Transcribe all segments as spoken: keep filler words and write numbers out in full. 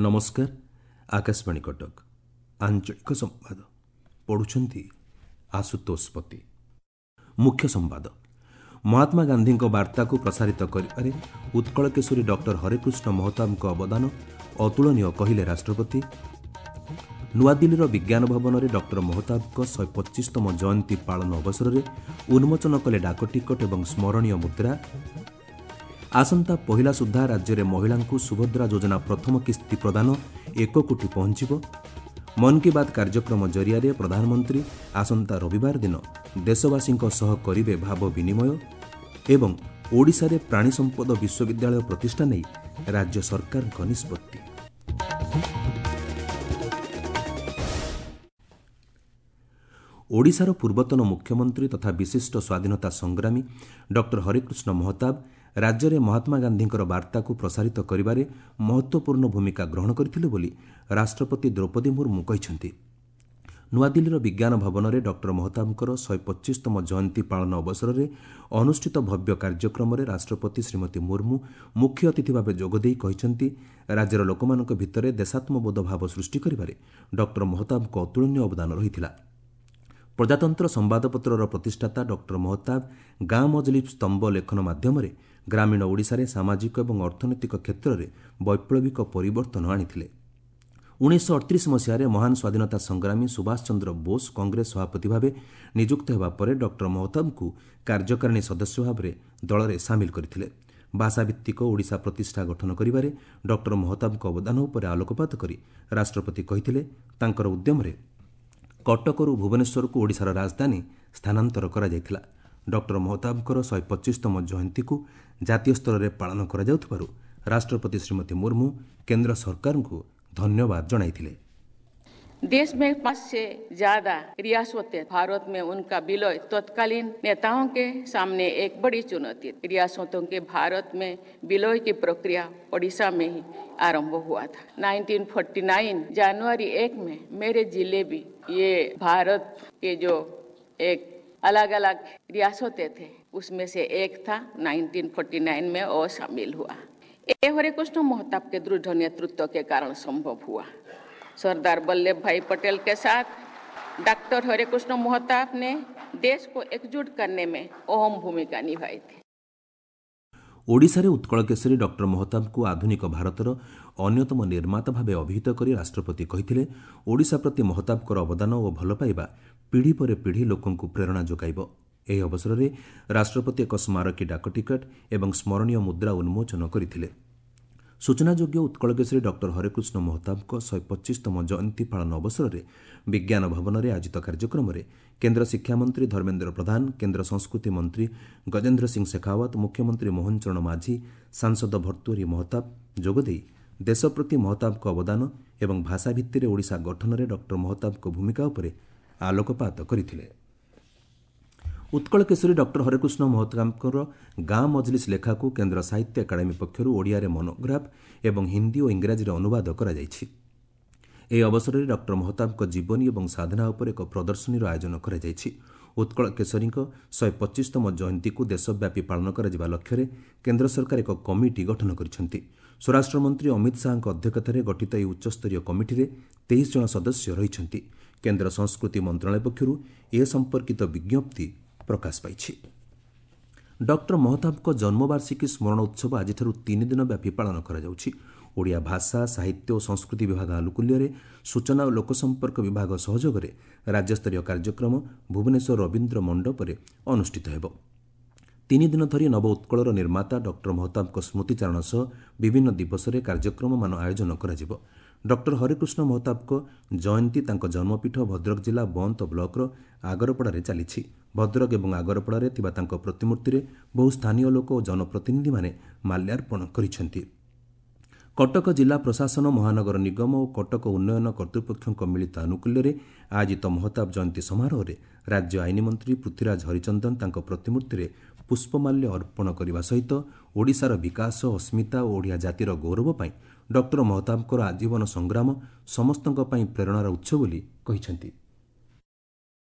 ନମସ୍କାର, ଆକାଶବାଣୀ କଟକ, ଆଞ୍ଚଳିକ ସମ୍ବାଦ ପଢ଼ୁଛନ୍ତି ଆଶୁତୋଷ ପତି। ମୁଖ୍ୟ ସମ୍ବାଦ। ମହାତ୍ମା ଗାନ୍ଧୀଙ୍କ ବାର୍ତ୍ତାକୁ ପ୍ରସାରିତ କରିବାରେ ଉତ୍କଳ କେଶରୀ ଡକ୍ଟର ହରେକୃଷ୍ଣ ମହତାବଙ୍କ ଅବଦାନ ଅତୁଳନୀୟ କହିଲେ ରାଷ୍ଟ୍ରପତି। ନୂଆଦିଲ୍ଲୀର ବିଜ୍ଞାନ ଭବନରେ ଡକ୍ଟର ମହତାବଙ୍କ ଶହେ ପଚିଶତମ ଜୟନ୍ତୀ ପାଳନ ଅବସରରେ ଉନ୍ମୋଚନ କଲେ ଡାକଟିକଟ ଏବଂ ସ୍ମରଣୀୟ ମୁଦ୍ରା। ଆସନ୍ତା ପହିଲା ସୁଦ୍ଧା ରାଜ୍ୟରେ ମହିଳାଙ୍କୁ ସୁଭଦ୍ରା ଯୋଜନା ପ୍ରଥମ କିସ୍ତି ପ୍ରଦାନ ଏକ କୋଟି ପହଞ୍ଚିବ। ମନ୍ କି ବାତ୍ କାର୍ଯ୍ୟକ୍ରମ ଜରିଆରେ ପ୍ରଧାନମନ୍ତ୍ରୀ ଆସନ୍ତା ରବିବାର ଦିନ ଦେଶବାସୀଙ୍କ ସହ କରିବେ ଭାବ ବିନିମୟ। ଏବଂ ଓଡ଼ିଶାରେ ପ୍ରାଣୀ ସମ୍ପଦ ବିଶ୍ୱବିଦ୍ୟାଳୟ ପ୍ରତିଷ୍ଠା ନେଇ ରାଜ୍ୟ ସରକାରଙ୍କ ନିଷ୍ପତ୍ତି। ଓଡ଼ିଶାର ପୂର୍ବତନ ମୁଖ୍ୟମନ୍ତ୍ରୀ ତଥା ବିଶିଷ୍ଟ ସ୍ୱାଧୀନତା ସଂଗ୍ରାମୀ ଡକ୍ଟର ହରେକୃଷ୍ଣ ମହତାବ ରାଜ୍ୟରେ ମହାତ୍ମା ଗାନ୍ଧୀଙ୍କର ବାର୍ତ୍ତାକୁ ପ୍ରସାରିତ କରିବାରେ ମହତ୍ତ୍ୱପୂର୍ଣ୍ଣ ଭୂମିକା ଗ୍ରହଣ କରିଥିଲେ ବୋଲି ରାଷ୍ଟ୍ରପତି ଦ୍ରୌପଦୀ ମୁର୍ମୁ କହିଛନ୍ତି। ନୂଆଦିଲ୍ଲୀର ବିଜ୍ଞାନ ଭବନରେ ଡକ୍ଟର ମହତାବଙ୍କର ଶହେ ପଚିଶତମ ଜୟନ୍ତୀ ପାଳନ ଅବସରରେ ଅନୁଷ୍ଠିତ ଭବ୍ୟ କାର୍ଯ୍ୟକ୍ରମରେ ରାଷ୍ଟ୍ରପତି ଶ୍ରୀମତୀ ମୁର୍ମୁ ମୁଖ୍ୟ ଅତିଥି ଭାବେ ଯୋଗଦେଇ କହିଛନ୍ତି, ରାଜ୍ୟର ଲୋକମାନଙ୍କ ଭିତରେ ଦେଶାତ୍ମବୋଧ ଭାବ ସୃଷ୍ଟି କରିବାରେ ଡକ୍ଟର ମହତାବଙ୍କ ଅତୁଳନୀୟ ଅବଦାନ ରହିଥିଲା। ପ୍ରଜାତନ୍ତ୍ର ସମ୍ବାଦପତ୍ରର ପ୍ରତିଷ୍ଠାତା ଡକ୍ଟର ମହତାବ ଗାଁ ମଜଲିସ୍ ସ୍ତମ୍ଭ ଲେଖନ ମାଧ୍ୟମରେ ଗ୍ରାମୀଣ ଓଡ଼ିଶାରେ ସାମାଜିକ ଏବଂ ଅର୍ଥନୈତିକ କ୍ଷେତ୍ରରେ ବୈପ୍ଳବିକ ପରିବର୍ତ୍ତନ ଆଣିଥିଲେ। ଉଣେଇଶହ ଅଠତିରିଶ ମସିହାରେ ମହାନ ସ୍ୱାଧୀନତା ସଂଗ୍ରାମୀ ସୁଭାଷ ଚନ୍ଦ୍ର ବୋଷ କଂଗ୍ରେସ ସଭାପତି ଭାବେ ନିଯୁକ୍ତ ହେବା ପରେ ଡକ୍ଟର ମହତାବଙ୍କୁ କାର୍ଯ୍ୟକାରିଣୀ ସଦସ୍ୟ ଭାବରେ ଦଳରେ ସାମିଲ କରିଥିଲେ। ଭାଷାଭିତ୍ତିକ ଓଡ଼ିଶା ପ୍ରତିଷ୍ଠା ଗଠନ କରିବାରେ ଡକ୍ଟର ମହତାବଙ୍କ ଅବଦାନ ଉପରେ ଆଲୋକପାତ କରି ରାଷ୍ଟ୍ରପତି କହିଥିଲେ, ତାଙ୍କର ଉଦ୍ୟମରେ କଟକରୁ ଭୁବନେଶ୍ୱରକୁ ଓଡ଼ିଶାର ରାଜଧାନୀ ସ୍ଥାନାନ୍ତର କରାଯାଇଥିଲା। ଡକ୍ଟର ମହତାବଙ୍କର ଶହେ ପଚିଶତମ ଜୟନ୍ତୀକୁ ଜାତୀୟ ସ୍ତରରେ ପାଳନ କରାଯାଉଥିବାରୁ ରାଷ୍ଟ୍ରପତି ଶ୍ରୀମତୀ ମୁର୍ମୁ କେନ୍ଦ୍ର ସରକାରଙ୍କୁ ଧନ୍ୟବାଦ ଜଣାଇଥିଲେ। देश में पांच से ज्यादा रियासतें, भारत में उनका विलय तत्कालीन नेताओं के सामने एक बड़ी चुनौती। रियासतों के भारत में विलय की प्रक्रिया ओडिशा में ही आरंभ हुआ था। उन्नीस सौ उनचास जनवरी एक में मेरे जिले भी ये भारत के जो एक अलग अलग रियासतें थे उसमें से एक था, उन्नीस सौ उनचास में और शामिल हुआ। ये हरेकृष्ण महताब के दृढ़ नेतृत्व के कारण संभव हुआ। सरदार वल्लभ भाई पटेल के साथ डॉक्टर हरेकृष्ण महताब ने देश को एकजुट करने में अहम भूमिका निभाई थी। ଓଡ଼ିଶାରେ ଉତ୍କଳ କେଶରୀ ଡକ୍ଟର ମହତାବଙ୍କୁ ଆଧୁନିକ ଭାରତର ଅନ୍ୟତମ ନିର୍ମାତା ଭାବେ ଅଭିହିତ କରି ରାଷ୍ଟ୍ରପତି କହିଥିଲେ, ଓଡ଼ିଶା ପ୍ରତି ମହତାବଙ୍କର ଅବଦାନ ଓ ଭଲ ପାଇବା ପିଢ଼ି ପରେ ପିଢ଼ି ଲୋକଙ୍କୁ ପ୍ରେରଣା ଯୋଗାଇବ। ଏହି ଅବସରରେ ରାଷ୍ଟ୍ରପତି ଏକ ସ୍ମାରକୀ ଡାକଟିକଟ ଏବଂ ସ୍ମରଣୀୟ ମୁଦ୍ରା ଉନ୍ମୋଚନ କରିଥିଲେ। ସୂଚନାଯୋଗ୍ୟ, ଉତ୍କଳ କେଶରୀ ଡକ୍ଟର ହରେକୃଷ୍ଣ ମହତାବଙ୍କ ଶହେ ପଚିଶତମ ଜୟନ୍ତୀ ପାଳନ ଅବସରରେ ବିଜ୍ଞାନ ଭବନରେ ଆୟୋଜିତ କାର୍ଯ୍ୟକ୍ରମରେ କେନ୍ଦ୍ର ଶିକ୍ଷାମନ୍ତ୍ରୀ ଧର୍ମେନ୍ଦ୍ର ପ୍ରଧାନ, କେନ୍ଦ୍ର ସଂସ୍କୃତି ମନ୍ତ୍ରୀ ଗଜେନ୍ଦ୍ର ସିଂ ଶେଖାଓ୍ୱତ, ମୁଖ୍ୟମନ୍ତ୍ରୀ ମୋହନ ଚରଣ ମାଝୀ, ସାଂସଦ ଭର୍ତ୍ତୃହରି ମହତାବ ଯୋଗଦେଇ ଦେଶ ପ୍ରତି ମହତାବଙ୍କ ଅବଦାନ ଏବଂ ଭାଷା ଭିତ୍ତିରେ ଓଡ଼ିଶା ଗଠନରେ ଡକ୍ଟର ମହତାବଙ୍କ ଭୂମିକା ଉପରେ ଆଲୋକପାତ କରିଥିଲେ। ଉତ୍କଳ କେଶରୀ ଡକ୍ଟର ହରେକୃଷ୍ଣ ମହତାବଙ୍କର ଗାଁ ମଜଲିସ୍ ଲେଖାକୁ କେନ୍ଦ୍ର ସାହିତ୍ୟ ଏକାଡେମୀ ପକ୍ଷରୁ ଓଡ଼ିଆରେ ମନୋଗ୍ରାଫ ଏବଂ ହିନ୍ଦୀ ଓ ଇଂରାଜୀରେ ଅନୁବାଦ କରାଯାଇଛି। ଏହି ଅବସରରେ ଡକ୍ଟର ମହତାବଙ୍କ ଜୀବନୀ ଏବଂ ସାଧନା ଉପରେ ଏକ ପ୍ରଦର୍ଶନୀର ଆୟୋଜନ କରାଯାଇଛି। ଉତ୍କଳ କେଶରୀଙ୍କ ଶହେ ପଚିଶତମ ଜୟନ୍ତୀକୁ ଦେଶବ୍ୟାପୀ ପାଳନ କରାଯିବା ଲକ୍ଷ୍ୟରେ କେନ୍ଦ୍ର ସରକାର ଏକ କମିଟି ଗଠନ କରିଛନ୍ତି। ସ୍ୱରାଷ୍ଟ୍ରମନ୍ତ୍ରୀ ଅମିତ ଶାହାଙ୍କ ଅଧ୍ୟକ୍ଷତାରେ ଗଠିତ ଏହି ଉଚ୍ଚସ୍ତରୀୟ କମିଟିରେ ତେଇଶ ଜଣ ସଦସ୍ୟ ରହିଛନ୍ତି। କେନ୍ଦ୍ର ସଂସ୍କୃତି ମନ୍ତ୍ରଣାଳୟ ପକ୍ଷରୁ ଏ ସମ୍ପର୍କିତ ବିଜ୍ଞପ୍ତି ପ୍ରକାଶ ପାଇଛି। ଡକ୍ଟର ମହତାବଙ୍କ ଜନ୍ମବାର୍ଷିକୀ ସ୍ମରଣ ଉତ୍ସବ ଆଜିଠାରୁ ତିନି ଦିନ ବ୍ୟାପୀ ପାଳନ କରାଯାଉଛି। ଓଡ଼ିଆ ଭାଷା, ସାହିତ୍ୟ ଓ ସଂସ୍କୃତି ବିଭାଗ ଆନୁକୂଲ୍ୟରେ ସୂଚନା ଓ ଲୋକସମ୍ପର୍କ ବିଭାଗ ସହଯୋଗରେ ରାଜ୍ୟସ୍ତରୀୟ କାର୍ଯ୍ୟକ୍ରମ ଭୁବନେଶ୍ୱର ରବୀନ୍ଦ୍ର ମଣ୍ଡପରେ ଅନୁଷ୍ଠିତ ହେବ। ତିନି ଦିନ ଧରି ନବ ଉତ୍କଳର ନିର୍ମାତା ଡକ୍ଟର ମହତାବଙ୍କ ସ୍ମୃତିଚାରଣ ସହ ବିଭିନ୍ନ ଦିବସରେ କାର୍ଯ୍ୟକ୍ରମମାନ ଆୟୋଜନ କରାଯିବ। ଡକ୍ଟର ହରେକୃଷ୍ଣ ମହତାବଙ୍କ ଜୟନ୍ତୀ ତାଙ୍କ ଜନ୍ମପୀଠ ଭଦ୍ରକ ଜିଲ୍ଲା ବନ୍ତ ବ୍ଲକର ଆଗରପଡ଼ାରେ ଚାଲିଛି। ଭଦ୍ରକ ଏବଂ ଆଗରପଡ଼ାରେ ଥିବା ତାଙ୍କ ପ୍ରତିମୂର୍ତ୍ତିରେ ବହୁ ସ୍ଥାନୀୟ ଲୋକ ଓ ଜନପ୍ରତିନିଧିମାନେ ମାଲ୍ୟାର୍ପଣ କରିଛନ୍ତି। କଟକ ଜିଲ୍ଲା ପ୍ରଶାସନ, ମହାନଗର ନିଗମ ଓ କଟକ ଉନ୍ନୟନ କର୍ତ୍ତୃପକ୍ଷଙ୍କ ମିଳିତ ଆନୁକୂଲ୍ୟରେ ଆୟୋଜିତ ମହତାବ ଜୟନ୍ତୀ ସମାରୋହରେ ରାଜ୍ୟ ଆଇନ ମନ୍ତ୍ରୀ ପୃଥ୍ୱୀରାଜ ହରିଚନ୍ଦନ ତାଙ୍କ ପ୍ରତିମୂର୍ତ୍ତିରେ ପୁଷ୍ପମାଲ୍ୟ ଅର୍ପଣ କରିବା ସହିତ ଓଡ଼ିଶାର ବିକାଶ, ଅସ୍ମିତା ଓ ଓଡ଼ିଆ ଜାତିର ଗୌରବ ପାଇଁ ଡକ୍ଟର ମହତାବଙ୍କର ଆଜୀବନ ସଂଗ୍ରାମ ସମସ୍ତଙ୍କ ପାଇଁ ପ୍ରେରଣାର ଉତ୍ସ ବୋଲି କହିଛନ୍ତି।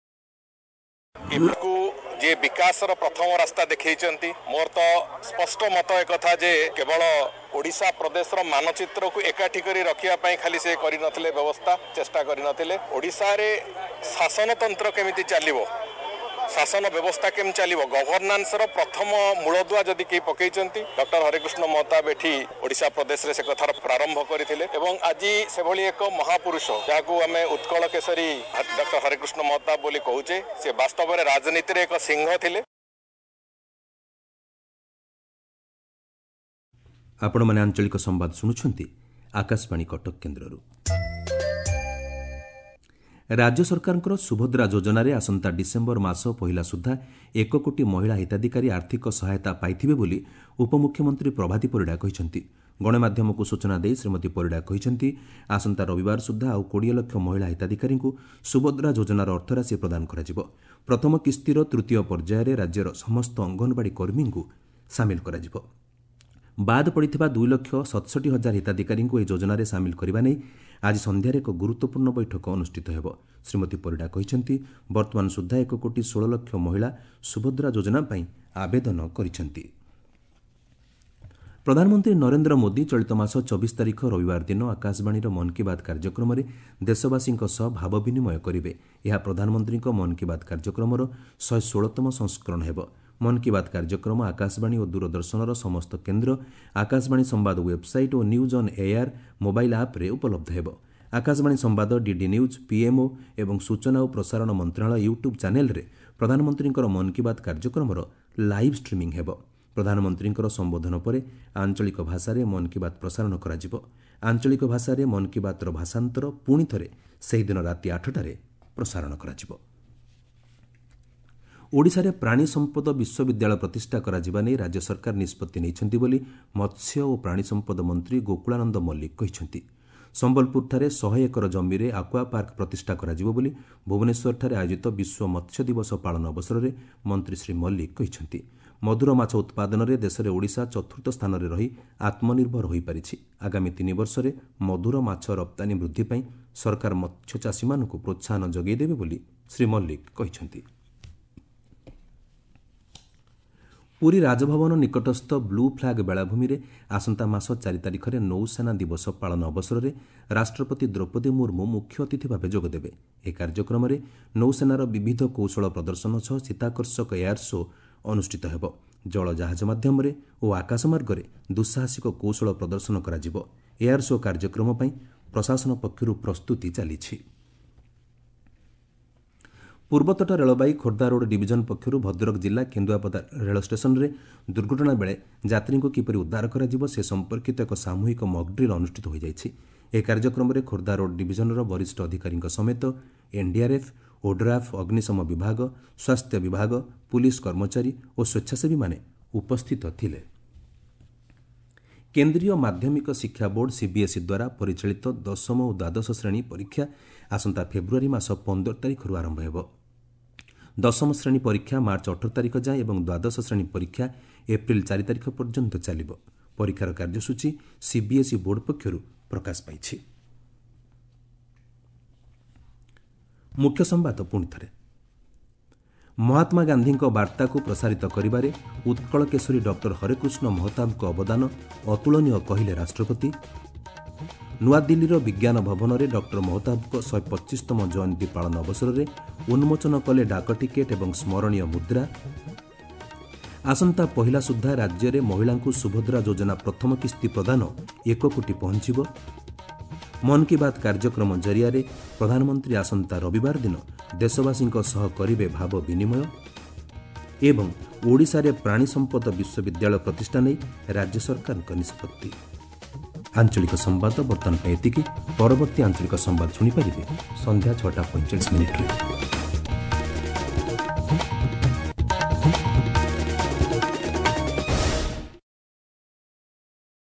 ଏକୁ ଯିଏ ବିକାଶର ପ୍ରଥମ ରାସ୍ତା ଦେଖେଇଛନ୍ତି। ମୋର ତ ସ୍ପଷ୍ଟ ମତ ଏକଥା ଯେ କେବଳ ଓଡ଼ିଶା ପ୍ରଦେଶର ମାନଚିତ୍ରକୁ ଏକାଠି କରି ରଖିବା ପାଇଁ ଖାଲି ସେ କରିନଥିଲେ ବ୍ୟବସ୍ଥା, ଚେଷ୍ଟା କରିନଥିଲେ। ଓଡ଼ିଶାରେ ଶାସନତନ୍ତ୍ର କେମିତି ଚାଲିବ, ଶାସନ ବ୍ୟବସ୍ଥା କେମିତି ଚାଲିବ, ଗଭର୍ଣ୍ଣାନ୍ସର ପ୍ରଥମ ମୂଳଦୁଆ ଯଦି କେହି ପକେଇଛନ୍ତି, ଡକ୍ଟର ହରେକୃଷ୍ଣ ମହତାବ ଏଠି ଓଡ଼ିଶା ପ୍ରଦେଶରେ ସେ କଥାର ପ୍ରାରମ୍ଭ କରିଥିଲେ। ଏବଂ ଆଜି ସେଭଳି ଏକ ମହାପୁରୁଷ, ଯାହାକୁ ଆମେ ଉତ୍କଳ କେଶରୀ ଡକ୍ଟର ହରେକୃଷ୍ଣ ମହତାବ ବୋଲି କହୁଛେ, ସେ ବାସ୍ତବରେ ରାଜନୀତିରେ ଏକ ସିଂହ ଥିଲେ। ଆପଣମାନେ ଆଞ୍ଚଳିକ ସମ୍ବାଦ ଶୁଣୁଛନ୍ତି ଆକାଶବାଣୀ କଟକ କେନ୍ଦ୍ରରୁ। ରାଜ୍ୟ ସରକାରଙ୍କର ସୁଭଦ୍ରା ଯୋଜନାରେ ଆସନ୍ତା ଡିସେମ୍ବର ମାସ ପହିଲା ସୁଦ୍ଧା ଏକ କୋଟି ମହିଳା ହିତାଧିକାରୀ ଆର୍ଥିକ ସହାୟତା ପାଇଥିବେ ବୋଲି ଉପମୁଖ୍ୟମନ୍ତ୍ରୀ ପ୍ରଭାତୀ ପରିଡ଼ା କହିଛନ୍ତି। ଗଣମାଧ୍ୟମକୁ ସୂଚନା ଦେଇ ଶ୍ରୀମତୀ ପରିଡ଼ା କହିଛନ୍ତି, ଆସନ୍ତା ରବିବାର ସୁଦ୍ଧା ଆଉ କୋଡ଼ିଏ ଲକ୍ଷ ମହିଳା ହିତାଧିକାରୀଙ୍କୁ ସୁଭଦ୍ରା ଯୋଜନାର ଅର୍ଥରାଶି ପ୍ରଦାନ କରାଯିବ। ପ୍ରଥମ କିସ୍ତିର ତୃତୀୟ ପର୍ଯ୍ୟାୟରେ ରାଜ୍ୟର ସମସ୍ତ ଅଙ୍ଗନବାଡ଼ି କର୍ମୀଙ୍କୁ ସାମିଲ କରାଯିବ। ବାଦ୍ ପଡ଼ିଥିବା ଦୁଇ ଲକ୍ଷ ସତଷଠି ହଜାର ହିତାଧିକାରୀଙ୍କୁ ଏହି ଯୋଜନାରେ ସାମିଲ କରିବା ନେଇ ଆଜି ସନ୍ଧ୍ୟାରେ ଏକ ଗୁରୁତ୍ୱପୂର୍ଣ୍ଣ ବୈଠକ ଅନୁଷ୍ଠିତ ହେବ। ଶ୍ରୀମତୀ ପରିଡ଼ା କହିଛନ୍ତି, ବର୍ତ୍ତମାନ ସୁଦ୍ଧା ଏକ କୋଟି ଷୋହଳ ଲକ୍ଷ ମହିଳା ସୁଭଦ୍ରା ଯୋଜନା ପାଇଁ ଆବେଦନ କରିଛନ୍ତି। ପ୍ରଧାନମନ୍ତ୍ରୀ ନରେନ୍ଦ୍ର ମୋଦି ଚଳିତ ମାସ ଚବିଶ ତାରିଖ ରବିବାର ଦିନ ଆକାଶବାଣୀର ମନ୍ କି ବାତ୍ କାର୍ଯ୍ୟକ୍ରମରେ ଦେଶବାସୀଙ୍କ ସହ ଭାବ ବିନିମୟ କରିବେ। ଏହା ପ୍ରଧାନମନ୍ତ୍ରୀଙ୍କ ମନ୍ କି ବାତ୍ କାର୍ଯ୍ୟକ୍ରମର ଶହେ ଷୋହଳତମ ସଂସ୍କରଣ ହେବ। ମନ୍ କି ବାତ୍ କାର୍ଯ୍ୟକ୍ରମ ଆକାଶବାଣୀ ଓ ଦୂରଦର୍ଶନର ସମସ୍ତ କେନ୍ଦ୍ର, ଆକାଶବାଣୀ ସମ୍ବାଦ website O news on air mobile ଆପ୍ରେ ଉପଲବ୍ଧ ହେବ। ଆକାଶବାଣୀ ସମ୍ବାଦ, ଡିଡି ନ୍ୟୁଜ୍, ପିଏମ୍ଓ ଏବଂ ସୂଚନା ଓ ପ୍ରସାରଣ ମନ୍ତ୍ରଣାଳୟ ୟୁଟ୍ୟୁବ୍ ଚ୍ୟାନେଲ୍ରେ ପ୍ରଧାନମନ୍ତ୍ରୀଙ୍କର ମନ୍ କି ବାତ୍ କାର୍ଯ୍ୟକ୍ରମର ଲାଇଭ୍ ଷ୍ଟ୍ରିମିଂ ହେବ। ପ୍ରଧାନମନ୍ତ୍ରୀଙ୍କର ସମ୍ବୋଧନ ପରେ ଆଞ୍ଚଳିକ ଭାଷାରେ ମନ୍ କି ବାତ୍ ପ୍ରସାରଣ କରାଯିବ। ଆଞ୍ଚଳିକ ଭାଷାରେ ମନ୍ କି ବାତ୍ର ଭାଷାନ୍ତର ପୁଣି ଥରେ ସେହିଦିନ ରାତି ଆଠଟାରେ ପ୍ରସାରଣ କରାଯିବ। ଓଡ଼ିଶାରେ ପ୍ରାଣୀ ସମ୍ପଦ ବିଶ୍ୱବିଦ୍ୟାଳୟ ପ୍ରତିଷ୍ଠା କରାଯିବା ନେଇ ରାଜ୍ୟ ସରକାର ନିଷ୍ପତ୍ତି ନେଇଛନ୍ତି ବୋଲି ମତ୍ସ୍ୟ ଓ ପ୍ରାଣୀ ସମ୍ପଦ ମନ୍ତ୍ରୀ ଗୋକୁଳାନନ୍ଦ ମଲ୍ଲିକ କହିଛନ୍ତି। ସମ୍ବଲପୁରଠାରେ ଶହେ ଏକର ଜମିରେ ଆକ୍ୱା ପାର୍କ ପ୍ରତିଷ୍ଠା କରାଯିବ ବୋଲି ଭୁବନେଶ୍ୱରଠାରେ ଆୟୋଜିତ ବିଶ୍ୱ ମତ୍ସ୍ୟ ଦିବସ ପାଳନ ଅବସରରେ ମନ୍ତ୍ରୀ ଶ୍ରୀ ମଲ୍ଲିକ କହିଛନ୍ତି। ମଧୁର ମାଛ ଉତ୍ପାଦନରେ ଦେଶରେ ଓଡ଼ିଶା ଚତୁର୍ଥ ସ୍ଥାନରେ ରହି ଆତ୍ମନିର୍ଭର ହୋଇପାରିଛି। ଆଗାମୀ ତିନି ବର୍ଷରେ ମଧୁର ମାଛ ରପ୍ତାନୀ ବୃଦ୍ଧି ପାଇଁ ସରକାର ମତ୍ସ୍ୟଚାଷୀମାନଙ୍କୁ ପ୍ରୋତ୍ସାହନ ଯୋଗାଇ ଦେବେ ବୋଲି ଶ୍ରୀ ମଲ୍ଲିକ କହିଛନ୍ତି। ପୁରୀ ରାଜଭବନ ନିକଟସ୍ଥ ବ୍ଲୁ ଫ୍ଲାଗ୍ ବେଳାଭୂମିରେ ଆସନ୍ତା ମାସ ଚାରି ତାରିଖରେ ନୌସେନା ଦିବସ ପାଳନ ଅବସରରେ ରାଷ୍ଟ୍ରପତି ଦ୍ରୌପଦୀ ମୁର୍ମୁ ମୁଖ୍ୟ ଅତିଥି ଭାବେ ଯୋଗଦେବେ। ଏହି କାର୍ଯ୍ୟକ୍ରମରେ ନୌସେନାର ବିବିଧ କୌଶଳ ପ୍ରଦର୍ଶନ ସହ ଚିତ୍ତାକର୍ଷକ ଏୟାର ଶୋ ଅନୁଷ୍ଠିତ ହେବ। ଜଳ ଜାହାଜ ମାଧ୍ୟମରେ ଓ ଆକାଶମାର୍ଗରେ ଦୁଃସାହସିକ କୌଶଳ ପ୍ରଦର୍ଶନ କରାଯିବ। ଏୟାର ଶୋ କାର୍ଯ୍ୟକ୍ରମ ପାଇଁ ପ୍ରଶାସନ ପକ୍ଷରୁ ପ୍ରସ୍ତୁତି ଚାଲିଛି। ପୂର୍ବତଟ ରେଳବାଇ ଖୋର୍ଦ୍ଧା ରୋଡ୍ ଡିଭିଜନ ପକ୍ଷରୁ ଭଦ୍ରକ ଜିଲ୍ଲା କେନ୍ଦୁଆପଦା ରେଳ ଷ୍ଟେସନରେ ଦୁର୍ଘଟଣା ବେଳେ ଯାତ୍ରୀଙ୍କୁ କିପରି ଉଦ୍ଧାର କରାଯିବ ସେ ସମ୍ପର୍କିତ ଏକ ସାମୂହିକ ମକ୍ଡ୍ରିଲ୍ ଅନୁଷ୍ଠିତ ହୋଇଯାଇଛି। ଏହି କାର୍ଯ୍ୟକ୍ରମରେ ଖୋର୍ଦ୍ଧା ରୋଡ୍ ଡିଭିଜନର ବରିଷ୍ଠ ଅଧିକାରୀଙ୍କ ସମେତ ଏନ୍ଡିଆର୍ଏଫ୍, ଓଡ୍ରାଫ୍, ଅଗ୍ନିଶମ ବିଭାଗ, ସ୍ୱାସ୍ଥ୍ୟ ବିଭାଗ, ପୁଲିସ କର୍ମଚାରୀ ଓ ସ୍ୱେଚ୍ଛାସେବୀମାନେ ଉପସ୍ଥିତ ଥିଲେ। କେନ୍ଦ୍ରୀୟ ମାଧ୍ୟମିକ ଶିକ୍ଷା ବୋର୍ଡ ସିବିଏସ୍ଇ ଦ୍ୱାରା ପରିଚାଳିତ ଦଶମ ଓ ଦ୍ୱାଦଶ ଶ୍ରେଣୀ ପରୀକ୍ଷା ଆସନ୍ତା ଫେବୃଆରୀ ମାସ ପନ୍ଦର ତାରିଖରୁ ଆରମ୍ଭ ହେବ। ଦଶମ ଶ୍ରେଣୀ ପରୀକ୍ଷା ମାର୍ଚ୍ଚ ଅଠର ତାରିଖ ଯାଏଁ ଏବଂ ଦ୍ୱାଦଶ ଶ୍ରେଣୀ ପରୀକ୍ଷା ଏପ୍ରିଲ ଚାରି ତାରିଖ ପର୍ଯ୍ୟନ୍ତ ଚାଲିବ। ପରୀକ୍ଷାର କାର୍ଯ୍ୟସୂଚୀ ସିବିଏସ୍ଇ ବୋର୍ଡ ପକ୍ଷରୁ ପ୍ରକାଶ ପାଇଛି। ମୁଖ୍ୟ ସମ୍ବାଦ ପୁଣି ଥରେ। ମହାତ୍ମା ଗାନ୍ଧୀଙ୍କ ବାର୍ତ୍ତାକୁ ପ୍ରସାରିତ କରିବାରେ ଉତ୍କଳ କେଶରୀ ଡକ୍ଟର ହରେକୃଷ୍ଣ ମହତାବଙ୍କ ଅବଦାନ ଅତୁଳନୀୟ କହିଲେ ରାଷ୍ଟ୍ରପତି। ନୂଆଦିଲ୍ଲୀର ବିଜ୍ଞାନ ଭବନରେ ଡକ୍ଟର ମହତାବଙ୍କ ଶହେ ପଚିଶତମ ଜୟନ୍ତୀ ପାଳନ ଅବସରରେ ଉନ୍ମୋଚନ କଲେ ଡାକ ଟିକେଟ୍ ଏବଂ ସ୍ମରଣୀୟ ମୁଦ୍ରା। ଆସନ୍ତା ପହିଲା ସୁଦ୍ଧା ରାଜ୍ୟରେ ମହିଳାଙ୍କୁ ସୁଭଦ୍ରା ଯୋଜନା ପ୍ରଥମ କିସ୍ତି ପ୍ରଦାନ ଏକ କୋଟି ପହଞ୍ଚିବ। ମନ୍ କି ବାତ୍ କାର୍ଯ୍ୟକ୍ରମ ଜରିଆରେ ପ୍ରଧାନମନ୍ତ୍ରୀ ଆସନ୍ତା ରବିବାର ଦିନ ଦେଶବାସୀଙ୍କ ସହ କରିବେ ଭାବ ବିନିମୟ। ଏବଂ ଓଡ଼ିଶାରେ ପ୍ରାଣୀ ସମ୍ପଦ ବିଶ୍ୱବିଦ୍ୟାଳୟ ପ୍ରତିଷ୍ଠା ନେଇ ରାଜ୍ୟ ସରକାରଙ୍କ ନିଷ୍ପତ୍ତି। ଆଞ୍ଚଳିକ ସମ୍ବାଦ ବର୍ତ୍ତମାନ ପାଇଁ ଏତିକି। ପରବର୍ତ୍ତୀ ଆଞ୍ଚଳିକ ସମ୍ବାଦ ଶୁଣିପାରିବେ ସନ୍ଧ୍ୟା ଛଅଟା ପଇଁଚାଳିଶ ମିନିଟ୍ରେ।